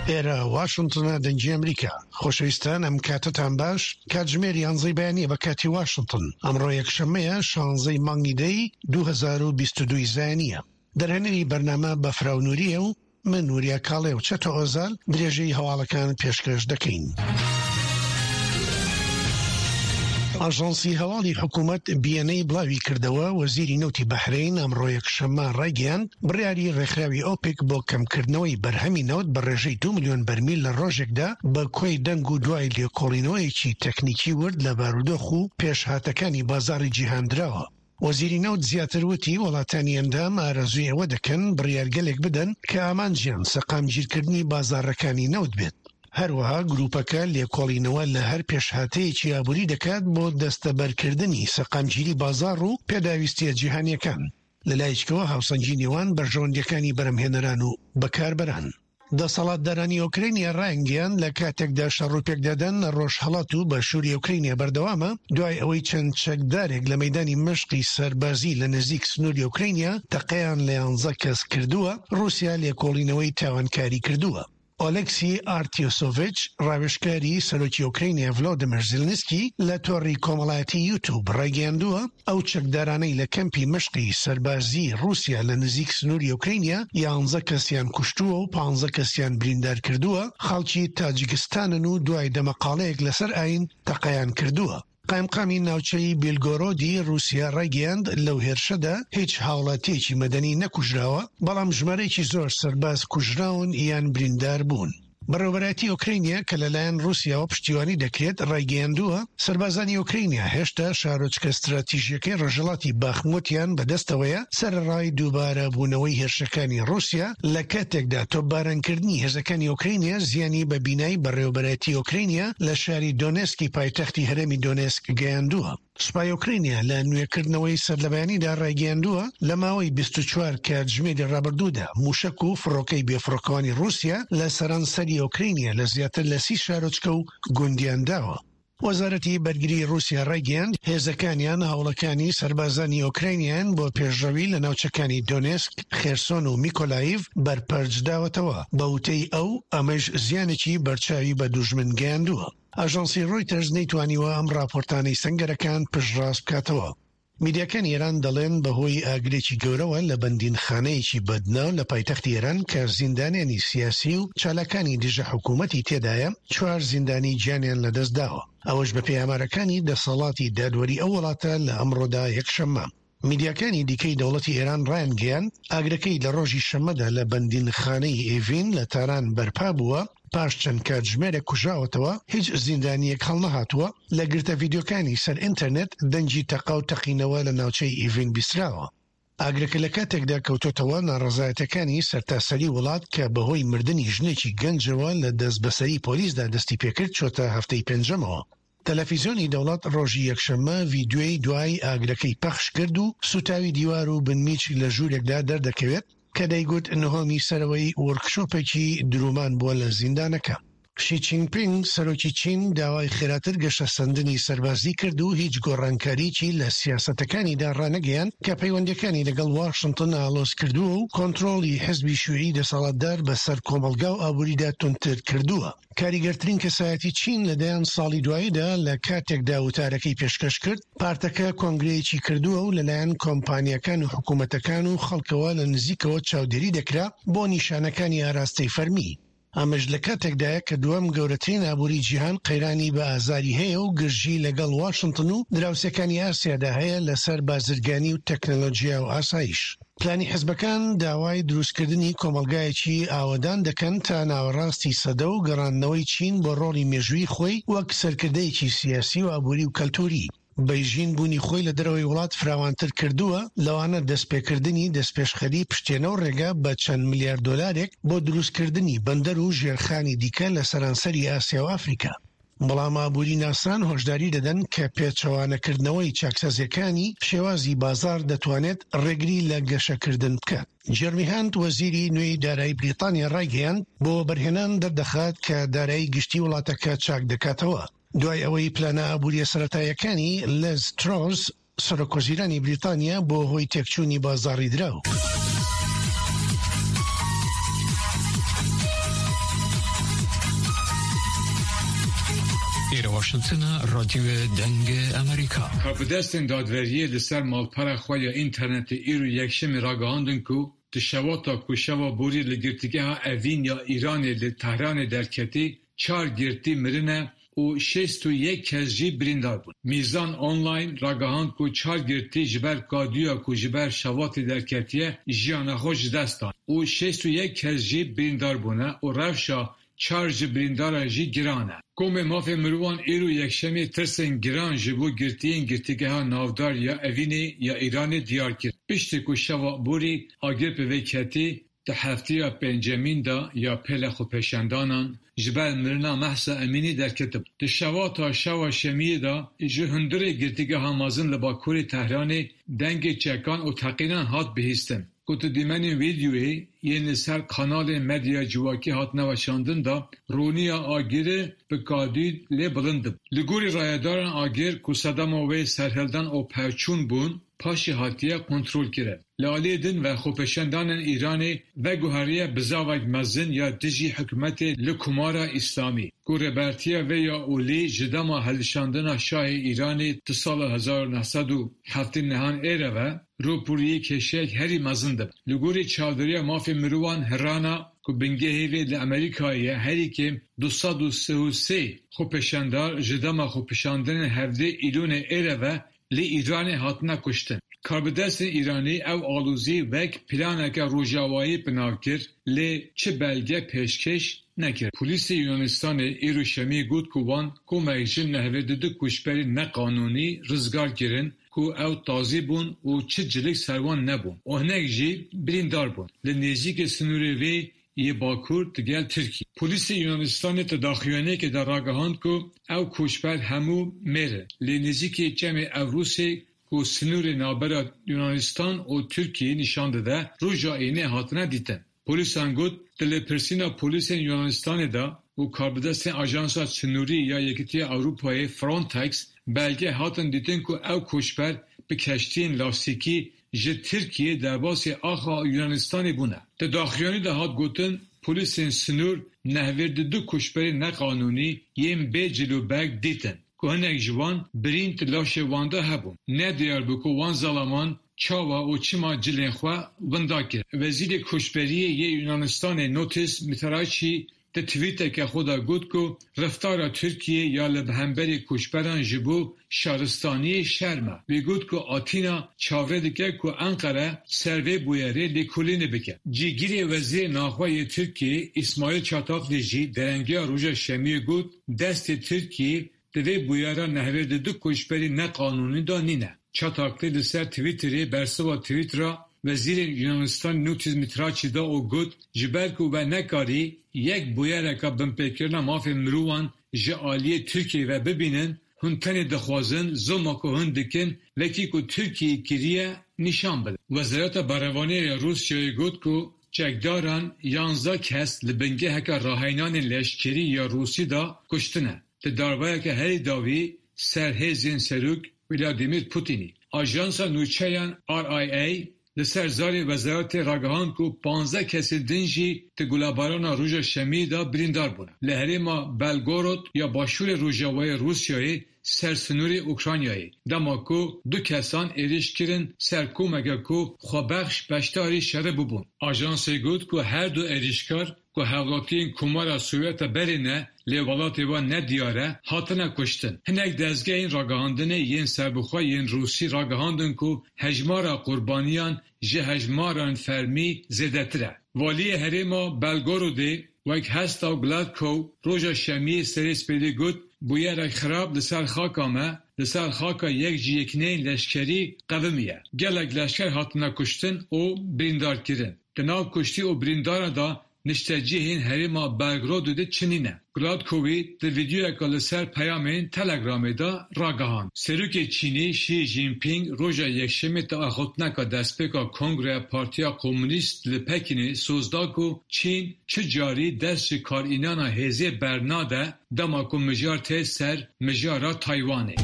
ئێرە واشنتنە دەنگی ئەمریکا. خۆشەویستان ئەم کاتەتان باش کاتژمێر یانزەی بەیانیە بە کاتی واشنتن ئەمڕۆ یەکشەممەیە شانزەی مانگی دەی 2022 زایانیە دەرهێنەری بەرنامە بەفراو نوریە و من وریا کاڵێ و چەتۆ ئۆزال درێژەی هەواڵەکان پێشکەش دەکەین. ئاژانسی هەواڵی حکوومەت BNA بڵاوی کردەوە وەزیری نەوتی بەحرەین ئەمڕۆ یەکشەممە ڕایگەیاند بڕیاری ڕێکخراوی ئۆپێک بۆ کەمکردنەوەی بەرهەمی نەوت بە ڕێژەی 2 ملیۆن بەرمیل لە ڕۆژێکدا بە کۆی دەنگ و دوای لێکۆڵینەوەیەکی تەکنیکی ورد لە بارودۆخ و پێشهاتەکانی بازاڕی جیهان دراوە. وەزیری نەوت زیاتر وتی، وڵاتانی ئەندام ئارەزووی ئەوە دەکەن بڕیارگەلێک بدەن کە ئامانجیان سەقامگیرکردنی بازاڕەکانی نەوت بێت. هەروەها گروپەکە لێکۆڵینەوە لە هەر پێشهاتەیەکی ئابووری دەکات بۆ دەستەبەرکردنی سەقامگیری بازاڕ و پێداویستییە جیهانییەکان، لەلایەکەوە هاوسەنگی نێوان بەرژەوەندییەکانی بەرهەمهێنەران و بەکاربەران. دەسەڵاتدارانی ئۆکرەینیا ڕایانگەیاند، لە کاتێکدا شەڕ و پێکدادان لە ڕۆژهەڵات و باشووری ئۆکرەینیا بەردەوامە، دوای ئەوەی چەند چەکدارێک لە مەیدانی مەشقی سەربازی لە نزیک سنووری ئۆکرەینیا تەقەیان لە یانزە کەس کردووە، ڕووسیا لێکۆڵینەوەی تاوانکاری کردووە. ئۆلێکسی ئارتیۆسۆڤیچ، ڕاوێژکاری سەرۆکی ئۆکرەینیا ڤلۆدیمێر زیلنسکی لە تۆڕی کۆمەڵایەتی یوتوب ڕایگەیاندووە، ئەو چەکدارانەی لە کەمپی مەشقی سەربازیی ڕووسیا لە نزیک سنووری ئۆکرەینیا یانزە کەسیان کوشتووە و پانزە کەسیان بریندار کردووە، خەڵکی تاجیکستانن و دوای دەمەقاڵەیەک لەسەر ئایین تەقەیان کردووە. قایمقامی ناوچەی بیلگۆرۆدی ڕووسیا ڕایگەیاند، لەو هێرشەدا هیچ هاوڵاتییەکی مەدەنی نەکوژراوە، بەڵام ژمارەیەکی زۆر سەرباز کوژراون یان بریندار بوون. بەڕێوەبەرایەتی ئۆکرەینیا کە لەلایەن ڕووسیاوە پشتیوانی دەکرێت، ڕایگەیاندووە، سەربازانی ئۆکرەینیا هێشتا شارۆچکە ستراتیژییەکەی ڕۆژهەڵاتی باخموتیان بەدەستەوەیە، سەرەڕای دووبارەبوونەوەی هێرشەکانی ڕووسیا، لە کاتێکدا تۆپبارانکردنی هێزەکانی ئۆکرەینیا زیانی بە بینای بەڕێوەبەرایەتی ئۆکرەینیا لە شاری دۆنێسکی پایتەختی هەرێمی دۆنێسک گەیاندووە. سوپای ئۆکرەینیا لە نوێکردنەوەی سەرلەبەیانیدا ڕایگەیاندووە، لە ماوەی 24 کاتژمێری ڕابردوودا مووشەک و فڕۆکەی بێفڕۆکەوانی ڕووسیا لە سەرانسەری ئۆکرەینیا لە زیاتر لە 30 شارۆچکە و گوندیان داوە. وەزارەتی بەرگری ڕووسیا ڕایگەیاند، هێزەکانیان هەوڵەکانی سەربازانی ئۆکراینیان بۆ پێشڕەوی لە ناوچەکانی دۆنێسک، خێرسۆن و میکۆلایڤ بەرپەرچ داوەتەوە، بە وتەی ئەو ئەمەش زیانێکی بەرچاوی بە دوژمن گەیاندووە. ئاژانسی ڕۆیتەرز نەیتوانیوە ئەم ڕاپۆرتانەی سەنگەرەکان پشتڕاست بکاتەوە. میدیاکانی ئێران دەڵێن بەهۆی ئاگرێکی گەورەوە لە بەندینخانەیەکی بەدناو لە پایتەختی ئێران کە زیندانیانی سیاسی و چالاکانی دژە حکوومەتی تێدایە، چوار زیندانی گیانیان لەدەستداوە، ئەوەش بەپێی ئامارەکانی دەسەڵاتی دادوەری ئەو وڵاتە لە ئەمڕۆدا یەکشەممە. میدیاکانی دیکەی دەوڵەتی ئێران ڕایانگەیاند، ئاگرەکەی لە ڕۆژی شەممەدا لە بەندینخانەی ئێڤین لە تاران بەرپا بووە، پاش چەند کاتژمێرێک کوژاوەتەوە، هیچ زیندانییەک هەڵنەهاتووە، لە گرتە ڤیدیۆکانی سەر ئینتەرنێت دەنگی تەقە و تەقینەوە لە ناوچەی ئیڤین بیستراوە. ئاگرەکە لە کاتێکدا کەوتۆتەوە ناڕەزایەتیەکانی سەرتاسەری وڵات کە بەهۆی مردنی ژنێکی گەنجەوە لە دەستبەسەری پۆلیسدا دەستیپێکرد چۆتە هەفتەی پێنجەمەوە. تەلەفیزیۆنی دەوڵەت ڕۆژی یەکشەممە ڤیدیۆی دوای ئاگرەکەی پەخش کرد و سووتاوی دیوار و بنمیچ لە ژوورێکدا دەردەکەوێت کە دەیگوت نهۆمی سەرەوەی وۆرکشۆپێکی دروومان بووە لە زیندانەکە. شی چینپینگ، سەرۆکی چین داوای خێراتر گەشەسەندنی سەربازی کرد و هیچ گۆڕانکاریی لە سیاسەتەکانیدا ڕانەگەیاند کە پەیوەندییەکانی لەگەڵ واشنتن ئاڵۆز کردووە و کۆنترۆڵی حزبی شیوعی دەسەڵاتدار بەسەر کۆمەڵگا و ئابووریدا توندتر کردووە. کاریگەرترین کەسایەتی چین لە دەیان ساڵی دواییدا لە کاتێکدا وتارەکەی پێشکەش کرد، پارتەکە کۆنگرەیەکی کردووە و لەلایەن کۆمپانیاکان و حکومەتەکان و خەڵکەوە لە نزیکەوە چاودێری دەکرا بۆ نیشانەکانی ئاراستەی فەرمی. ئەمەش لە کاتێکدایە کە دووەم گەورەترین ئابووری جیهان قەیرانی بە ئازاری هەیە و گرژی لەگەڵ واشنتن و دراوسێکانی ئاسیادا هەیە لەسەر بازرگانی و تەکنەلۆجیا و ئاسایش. پلانی حزبەکان داوای دروستکردنی کۆمەڵگایەکی ئاوەدان دەکەن تا ناوەڕاستی سەدە و گەڕاندنەوەی چین بۆ ڕۆڵی مێژوویی خۆی وەک سەرکردەیەکی سیاسی و ئابووری و کەلتووری. بەیژین بوونی خۆی لە دەرەوەی وڵات فراوانتر کردووە، لەوانە دەستپێکردنی دەستپێشخەری پشتێنە و ڕێگا بە چەند ملیار دۆلارێک بۆ دروستکردنی بەندەر و ژێرخانی دیکە لە سەرانسەری ئاسیا و ئەفریکا. بەڵام ئابووریناسان هۆشداری دەدەن کە پێچەوانەکردنەوەی چاکسازییەکانی شێوازی بازاڕ دەتوانێت ڕێگری لە گەشەکردن بکات. جێرمی هانت، وەزیری نوێی دارایی بریتانیا ڕایگەیاند، بۆ وەبەرهێنان دەردەخات کە دارایی گشتی وڵاتەکە چاک دەکاتەوە، دوای ئەوەی پلانە ئابوورییە سەرەتاییەکانی لز ترۆس، سەرۆکوەزیرانی بریتانیا بووە هۆی تێکچوونی بازاڕی دراو. ئێرە واشنتنە، ڕادیۆ دەنگ ئەمریکا. Karbidestên dadweriyê li ser malpera xwe ya înternetê îro Yekşemê ragihandin ku di şewata ku şeva borî li girtîgeha Evîn ya Îranê li Tehranê derketî çar girtî mirine û 61 kes jî birîndar bûn. Mîzan Online ragihand ku çar girtî ji ber kadûya ku ji ber şewatê derketiye jiyana xwe ji dest dan û 61 kes jî birîndar bûne û rewşa çar ji birîndaran jî giran e. Komê mafê mirovan îro Yekşemê tirsên giran ji bo girtiyên girtîgeha navdar ya Evînê ya Îranê diyar kir. Piştî ku şeva borî agir bi vê ketî di hefteya pêncemîn de ya pêla xwepêşandanan ji ber mirina Mehsa Emînî derketibû. Di şewata şeva şemiyê de ji hundirê girtîgeha mezin li Bakurê Tehranê dengê çekan û teqînan hat bihîstin. Ku di dîmenên vîdyoyê yên li ser kanalên medyaya civakî hatine weşandin de roniya agirê bi kadî lê bilind dibû. Li gorî rayedaran agir ku sedema wê serhildan û pevçûn bûn, paşê hatiye kontrolkirin. Li aliyê din ve xwepêşandanên Îranê veguheriye bizavek mezin ya dijî hikûmetê li Komara Îslamî ku rêbertiya vê ya olî ji dema hilşandina Şahê Îranê di sala 1979 ê re ve rûbirûyê kêşeyek herî mezin dibe. Li gorî çavdêriya mafê mirovan Hrana ku bingehê vê li Amerîkayê ye herî kêm 233 xwepêşandar ji dema xwepêşandinên 17 Îlonê ê re ve li Îranê hatine kuştin. Karbidestên Îranî ew alozî wek planeke rojavayî binav kir lê çi belge pêşkêş nekir. Polîsê Yunanistanê îro Şemiyê got ku wan komek ji 92 koçberên neqanûnî rizgar kirin ku ew tazî bûn û çi cilik ser wan nebûn û hinek jî birîndar bûn li nêzîkê sînorê vê yê Bakur digel Tirkiyê. Polîsê Yunanistanê di daxuyaniyekê de ragihand ku ew koçber hemû mêr in lê nêzîkê çemê Evrosê ku sînorê navbera Yunanistan û Tirkiyeyê nîşan dide, roja înê hatine dîtin. Polîsan got, di lêpirsîna polîsên Yunanistanê de û karbidestên Ajansa Sînorî ya Yekîtiya Ewropayê Frontex belge hatin dîtin ku ew koçber bi keştiyên lastîkî ji Tirkiyeyê derbasî axa Yunanistanê bûne. Di daxuyanî de hat gotin, polîsên sînor 92 koçberên neqanûnî yên bê cil û berg dîtin ku hinek ji wan birîn di laşê wan de hebûn. Ne diyar bû ku wan zalaman çawa û çima cilên xwe winda kir. Wezîrê Koçberiyê yê Yunanistanê Notis Mitarachi di tweeteke xwe de got ku reftara Tirkiyeyê ya li hemberî koçberan ji bo şaristaniyê şerm e. Wî got ku Atîna çavrê dike ku Enqere ser vê bûyerê lêkolînê bike. Cîgirê Wezîrê Naxwe yê Tirkiyeyê Îsmaîl Çatakli jî derengiya roja Şemiyê got, destê Tirkiyeyê di vê bûyera 92 koçberî neqanûnî de nîne. Çatakli li ser Twitterê bersiva Twittera Wezîrê Yunanistanê Notis Mitarachi da û got, ji ber ku we nekarî yek bûyereke binpêkirina mafên mirovan ji aliyê Tirkiyeyê ve bibînin, hûn tenê dixwazin zilma ku hûn dikin wekî ku Tirkiyeyê kiriye nîşan bidin. Wezareta Berevaniyê ya Rûsyayê got ku çekdaran 11 kes li bingeheke rahênanên leşkerî ya Rûsî de kuştine. Di darbeyeke herî dawî ser hêzên Serok Vladimir Putinî. Ajansa nûçeyan RIA li ser zarê wezaretê ragihand ku 15 kesên din jî di gulebarana roja Şemiyê de birîndar bûne. Li herêma Belgorod ya başûrê rojavayê Rûsyayê ser sînorê Ukraynayê dema ku du kesan êriş kirin ser komeke ku xwebexş beşdarî şerê bûbûn. Ajansê got ku her du êrişkar ku hevlatiyên Komara Sovyeta berê ne lê welatê wan ne diyar e, hatine kuştin. Hinek dezgehên ragihandinê yên serbixwe yên Rûsî ragihandin ku hejmara qurbaniyan ji hejmaran fermî zêdetir e. Waliyê herêma Belgorodê Vyacheslav Gladkov roja Şemiyê serê spêdê got, bûyerek xirab li ser xaka me, li ser xaka yek ji yekîneyên leşkerî qewimiye. Gelek leşker hatine kuştin û birîndarkirin. Di nav kuştî û birîndaran de niştecihên herêma Belgorodê de çinî ne. Gladkovî di vîdeoyeke li ser peyamên Telegramê de ragihand. Serokê Çînê Xi Jinping roja Yekşemê di axaftineke destpêka Kongreya Partiya Komûnîst li Pekînê soz da ku Çîn çi carî dest ji karînana hêzê bernade dema ku mijar tê ser mijara Taywanê.